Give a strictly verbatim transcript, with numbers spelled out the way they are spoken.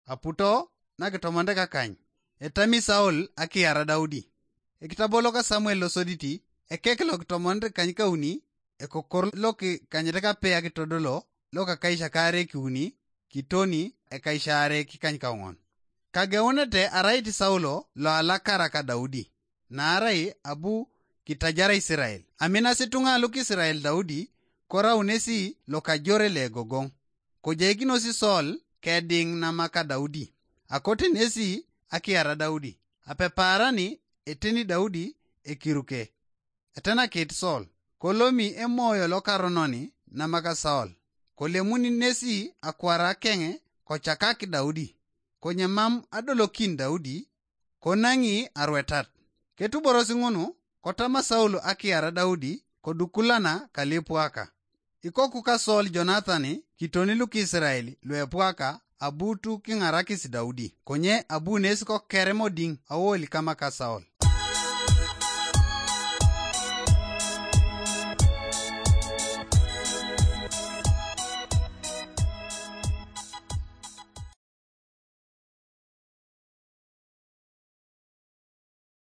Aputo nakitomonte kakany, etami Saul akiara Daudi. Ekitabo loka Samuel losoditi, ekek lokitomonte kany kauni, ekokor lokikanyete kape akitodolo, lokakaisha kaare kiuni, kitoni ekaishaare kikany kaŋon. Kageunete arait Saulo loalakara ka Daudi, naarai abu kitajara Isirael. Aminasi ituŋa lukisirael Daudi, korau nesi lokajore legogoŋ. Kojeikinosi Saul kediŋ namaka Daudi, akote nesi akiara Daudi. Apepaarani eteni Daudi ekiruke, etenakit Saul, kolomi emoyo lokarononi namaka Saul, kolemuni nesi akwara keŋe kocakak Daudi, konye mam adolokin Daudi, konaŋi arwetat. Ketuborosi ŋunu, kotama Saul akiara Daudi, kodukulana kalipwaka. Ikoku ka Saul Jonathan kitoni lukisirael luepwaka abutu kiŋarakis Daudi, konye abu nes kokerem odiŋ awoli kamaka Saul.